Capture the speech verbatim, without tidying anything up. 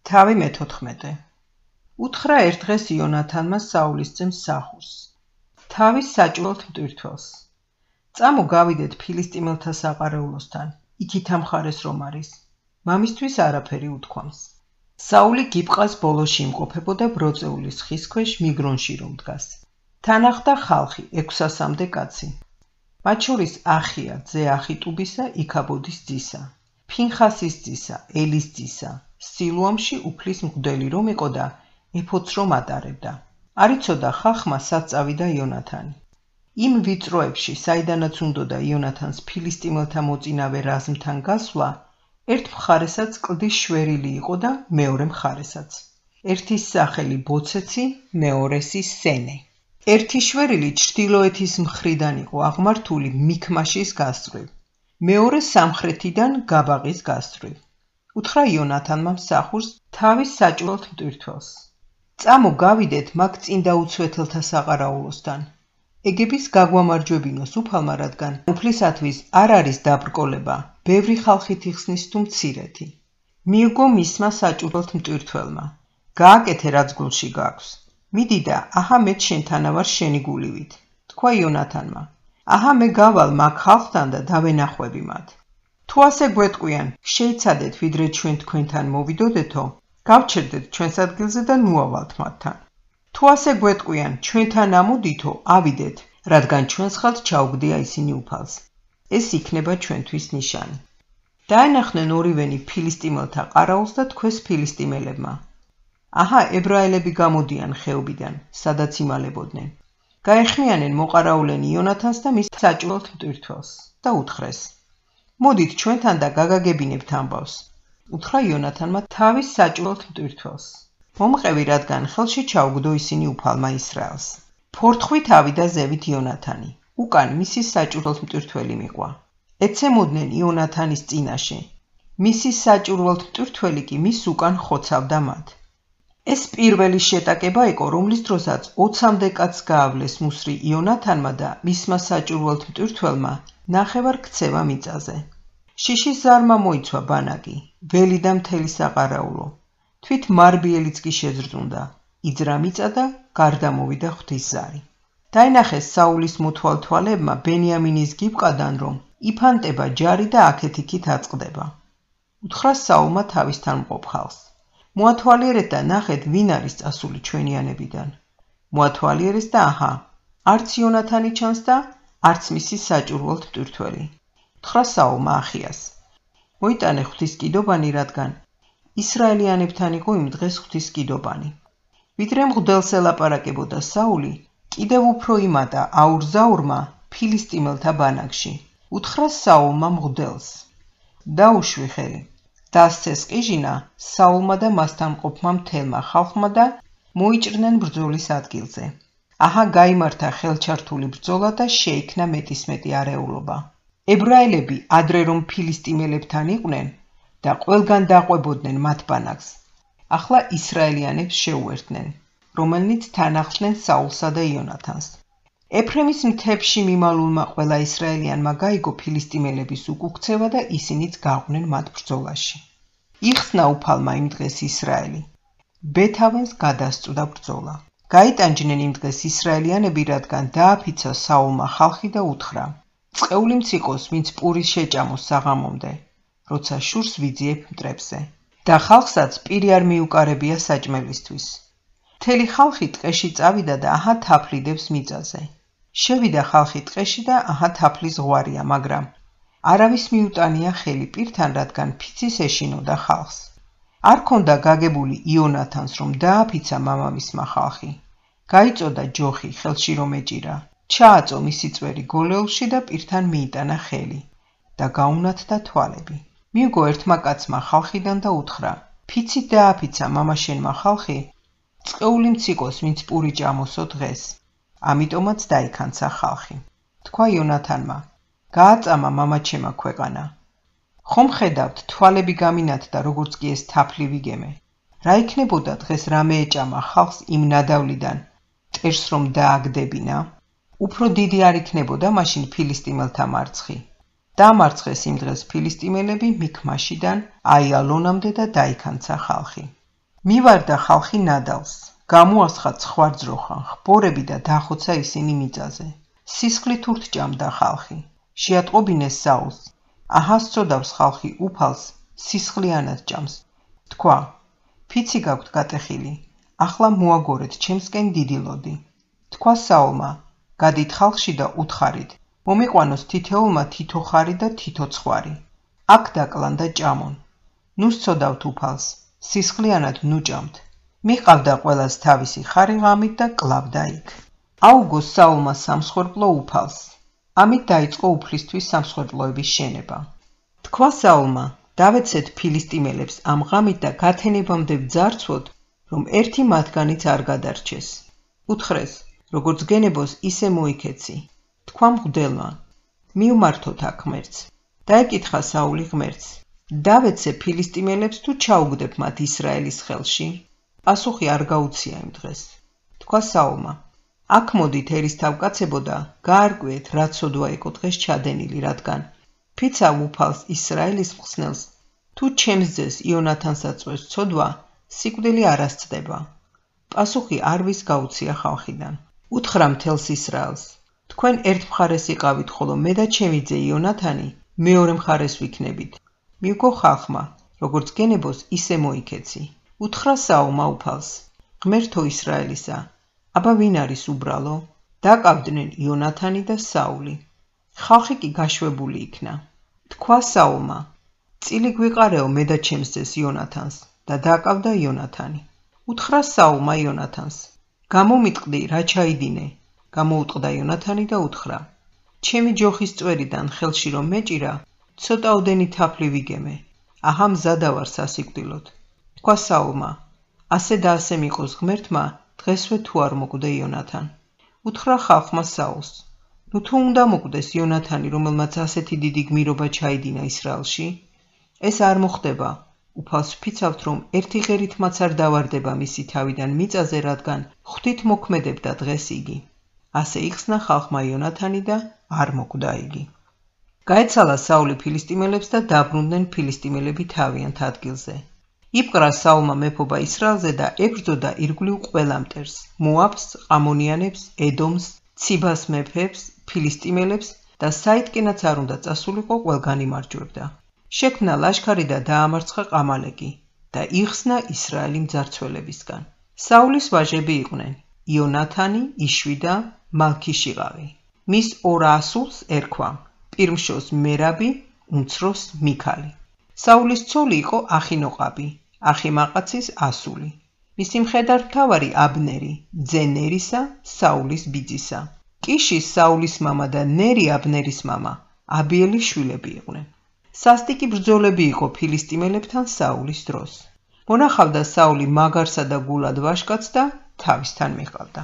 თავი მეთოთხმეტე. უთხრა ერთ დღეს იონათანმა საულის ძემ მსახურს. თავის საჭურველთ მტვირთველს. წამო გავიდეთ ფილისტიმელთა საყარაულოსთან, იქით ამ მხარეს რომ არის. მამისთვის არაფერი უთქვამს. საული გიბყას ბოლოში იმყოფებოდა ბროწეულის ხის ქვეშ მიგრონში რომ დგას. თან ახდა ხალხი ექვსასამდე კაცი. მათ შორის ახია ძე ახიტუბისა იქაბოდის ძისა, ფინხასის ძისა, ელის ძისა, სილუამში უფლის მღვდელი რომ იყო და ეფოც რომ ატარებდა. არ იცოდა ხალხმა სად წავიდა იონათანი. იმ ვიწროებში, საიდანაც უნდოდა იონათანს ფილისტიმელთა მოწინავე რაზმთან გასვლა, ერთ მხარესაც კლდის შვერილი იყო და მეორე მხარესაც. ერთის სახელი ბოცეცი, მეორესი სენე. ერთი შვერილი ჩრდილოეთის მხრიდან იყო აღმართული მიქმაშის გასწვრივ, მეორე სამხრეთიდან გაბაღის გასწვრივ. უთხრა იონათანმა მსახურს თავის საჭურველთ მტვირთველს. წამო გავიდეთ მაგ წინდა უცვეთელთა საყარაულოსთან. ეგების გაგვამარჯვებინოს უფალმა, რადგან უფლისათვის არ არის დაბრკოლება, ბევრი ხალხით იხსნის თუ მცირეთი. მიიგო მისმა საჭურველთ მტვირთველმა. გააკეთე რაც გულში გაქვს. მიდი და აჰა მეც შენთანა ვარ შენი გულივით, თქვა იონათანმა. აჰა მე გავალ მაგ ხალხთან და დავენახვები მათ. თუ ასე გვეტყვიან, შეიცადეთ ვიდრე ჩვენ თქვენთან მოვიდოდეთო, გავჩერდეთ ჩვენს ადგილზე და ნუავალთ მათთან. თუ ასე გვეტყვიან, ჩვენთან ამოდითო, ავიდეთ, რადგან ჩვენს ხელთ ჩაუგდია ისინი უფალს. ეს იქნება ჩვენთვის ნიშანი. დაენახნენ ორივენი ფილისტიმელთა ყარაულს და თქვეს ფილისტიმელებმა. აჰა, ებრაელები გამოდიან ხეობიდან, სადაც იმალებოდნენ. გაეხმიანენ მოყარაულენი იონათანს და მის საჭურველთ მტვირთველს და უთხრეს. მოდით ჩვენთან და გაგაგებინებთ ამბავს. უთხრა იონათანმა თავის საჭურველთ მტვირთველს. მომყევი, რადგან ხელში ჩაუგდო ისინი უფალმა ისრაელს. ფორთხვით ავიდა ზევით იონათანი. უკან მისი საჭურველთ მტვირთველი მიყვა. ეცემოდნენ იონათანის წინაშე. მისი საჭურველთ მტვირთველი კი მის უკან ხოცავდა მათ. ეს პირველი შეტაკება იყო, რომლის დროსაც ოცამდე კაცს გაავლეს მუსრი იონათანმა და მისმა საჭურველთ მტვირთველმა ნახევარ ქცევა მიწაზე. შიშის ზარმა მოიცვა ბანაკი, ველი და მთელი საყარაულო. თვით მარბიელიც კი შეზრდუნდა, იძრა მიწა და გარდა მოვიდა ღვთის ზარი. დაინახეს საულის მოთვალთვალებმა ბენიამინის გიბყადან, რომ იფანტება ჯარი და აქეთ-იქით აწყდება. უთხრა საულმა თავისთან მყოფ ხალხს. მოათვალიერეთ და ნახეთ, ვინ არის წასული ჩვენიანებიდან. მოათვალიერეს და აჰა, არც იონათანი ჩანს და არც მისი საჭურველთ მტვირთველი. უთხრა საულმა ახიას. მოიტანე ღვთის კიდობანი, რადგან ისრაელიანებთან იყო იმ დღეს ღვთის კიდობანი. ვიდრე მღვდელს ელაპარაკებოდა საული, კიდევ უფრო იმატა აურზაურმა ფილისტიმელთა ბანაკში. უთხრა საულმა მღვდელს. დაუშვი ხელი. დასცეს ყიჟინა საულმა და მასთან მყოფმა მთელმა ხალხმა და მოიჭრნენ ბრძოლის ადგილზე. აჰა, გაიმართა ხელჩართული ბრძოლა და შეიქმნა მეტისმეტი არეულობა. ებრაელები ადრე რომ ფილისტიმელებთან იყვნენ და ყველგან დაყვებოდნენ მათ ბანაკს, ახლა ისრაელიანებს შეუერთდნენ, რომელნიც თან ახლდნენ საულსა და იონათანს. ეფრემის მთებში მიმალულმა ყველა ისრაელიანმა გაიგო ფილისტიმელების უკუქცევა და ისინიც გაყვნენ მათ ბრძოლაში. იხსნა უფალმა იმ დღეს ისრაელი. ბეთავენს გადასწვდა ბრძოლა. გაიტანჯნენ იმ დღეს ისრაელიანები, რადგან დააფიცა საულმა ხალხი და უთხრა. წყეული მციყოს, ვინც პურის შეჭამოს საღამომდე, როცა შურს ვიძიებ მტრებზე. და ხალხსაც პირი არ მიუკარებია საჭმელისთვის. მთელი ხალხი ტყეში წავიდა და აჰა თაფლიდებს მიწაზე. შევიდა ხალხი ტყეში და აჰა თაფლი ზღვარია, მაგრამ არავის მიუტანია ხელი პირთან, რადგან ფიცის ეშინოდა ხალხს. არ ქონდა გაგებული იონათანს, რომ დააფიცა მამამისმა ხალხი. გაიწოდა ჯოხი ხელში რომ ეჭირა. ჩააწო მისი წვერი გოლეულში და პირთან მიიტანა ხელი და გაუნათდა თვალები. მიიგო ერთმა კაცმა ხალხიდან და უთხრა. ფიცით დააფიცა მამაშენმა ხალხი, წყეული მციყოს, ვინც პური ჭამოსო დღეს. ამიტომაც დაიქანცა ხალხი. თქვა იონათანმა. გააწამა მამაჩემა ქვეყანა. ხომ ხედავთ, თვალები გამინათდა, როგორც კი ეს თაფლი ვიგემე. რა იქნებოდა დღეს რამე ეჭამა ხალხს იმ ნადავლიდან, ტერს რომ დააგდებინა? უფრო დიდი არ იქნებოდა მაშინ ფილისტიმელთა მარცხი. დამარცხეს იმ დღეს ფილისტიმელები მიქმაშიდან აიალონამდე და დაიქანცა ხალხი. მივარდა ხალხი ნადალს, გამოასხა ცხვარძროხა, ხბორები და დახოცა ისინი მიწაზე. სისხლით ურთჭამდა ხალხი, შეატყობინეს საულს, აჰა სწოდავს ხალხი უფალს, სისხლიანად ჭამს. თქვა, ფიცი გაქვთ გატეხილი, ახლა მოაგორეთ ჩემსკენ დიდი ლოდი. თქვა საულმა, გადით ხალხში და უთხარით, მომიყვანოს თითეულმა თითო ხარი და თითო ცხვარი. აქ დაკლან და ჭამონ. ნუ სწოდავთ უფალს, სისხლიანად ნუ ჭამთ. მიყავდა ყველას თავისი ხარი ღამით და კლავდა იქ. აუგო საულმა სამსხვერპლო უფალს. ამით დაიწყო უფლისთვის სამსხვერპლოების შენება. თქვა საულმა, დავეცეთ ფილისტიმელებს ამ ღამით და გათენებამდე ვძარცვოთ, რომ ერთი მათგანიც არ გადარჩეს. უთხრეს, როგორც გენებოს ისე მოიქეცი. თქვა მღვდელმა, მიუმართოთ აქ ღმერთს. დაეკითხა საული ღმერთს, დავეცე ფილისტიმელებს თუ ჩაუგდებ მათ ისრაელის ხელში? პასუხი არ გაუცია იმ დღეს. თქვა საულმა, აქ მოდით ერისთავკაცებო და გაარკვიეთ, რა ცოდვა იყო დღეს ჩადენილი, რადგან ფიცა უფალს ისრაელის მხსნელს, თუ ჩემს ძეს იონათანს აწვევს ცოდვა, სიკვდილი არ ასწდება. პასუხი არვის გაუცია ხალხიდან. უთხრა მთელს ისრაელს, თქვენ ერთ მხარეს იყავით, ხოლო მე და ჩემი ძე იონათანი მეორე მხარეს ვიქნებით. მიუგო ხალხმა, როგორც გენებოს ისე მოიქეცი. უთხრა საულმა უფალს, ღმერთო ისრაელისა, აბა ვინ არის უბრალო? დაკავდნენ იონათანი და საული. ხალხი კი გაშვებული იქნა. თქვა საულმა, წილი გვიყარეო მე და ჩემს ძეს იონათანს და დაკავდა იონათანი. უთხრა საულმა იონათანს, გამომიტყდი რა ჩაიდინე. გამოუტყდა იონათანი და უთხრა, ჩემი ჯოხის წვერიდან ხელში რომ მეჭირა, ცოტაოდენი თაფლი ვიგემე. აჰა მზადა ვარ სასიკვდილოდ. თქვა საულმა, ასე და ასე მიყოს ღმერთმა, დღესვე თუ არ მოკვდე იონათან. უთხრა ხალხმა საულს, ნუ თუ უნდა მოკვდეს იონათანი, რომელმაც ასეთი დიდი გმირობა ჩაიდინა ისრაელში? ეს არ მოხდება. უფალს ვფიცავთ, რომ ერთი ღერით მათ არ დავარდება მისი თავიდან მიწაზე, რადგან ღვთით მოქმედებდა დღეს იგი. ასე იხსნა ხალხმა იონათანი და არ მოკვდა იგი. გაეცალა საული ფილისტიმელებს და დაბრუნდნენ ფილისტიმელები თავიანთ ადგილზე. იპყრა საულმა მეფობა ისრაელზე და ებრძოდა ირგვლივ ყველა მტერს, მოაბს, ამონიანებს, ედომს, ციბას მეფეებს, ფილისტიმელებს და საიდკენაც არ უნდა წასულიყო, ყველგან იმარჯვებდა. შექმნა ლაშქარი და დაამარცხა ყამალეკი და იხსნა ისრაელი მძარცველებისგან. საულის ვაჟები იყვნენ იონათანი, იშვი და მალქიშიყავი. მის ორ ასულს ერქვა, პირმშოს მერაბი, უმცროს მიქალი. საულის ცოლი იყო ახინოყაბი, ახიმაყაცის ასული. მისი მხედართმთავარი აბნერი, ძე ნერისა, საულის ბიძისა. კიშის საულის მამა და ნერი აბნერის მამა, აბიელის შვილები იყვნენ. სასტიკი ბრძოლები იყო ფილისტიმელებთან საულის დროს. მონახავდა საული მაგარსა და გულად ვაშკაცს და თავისთან მიყავდა.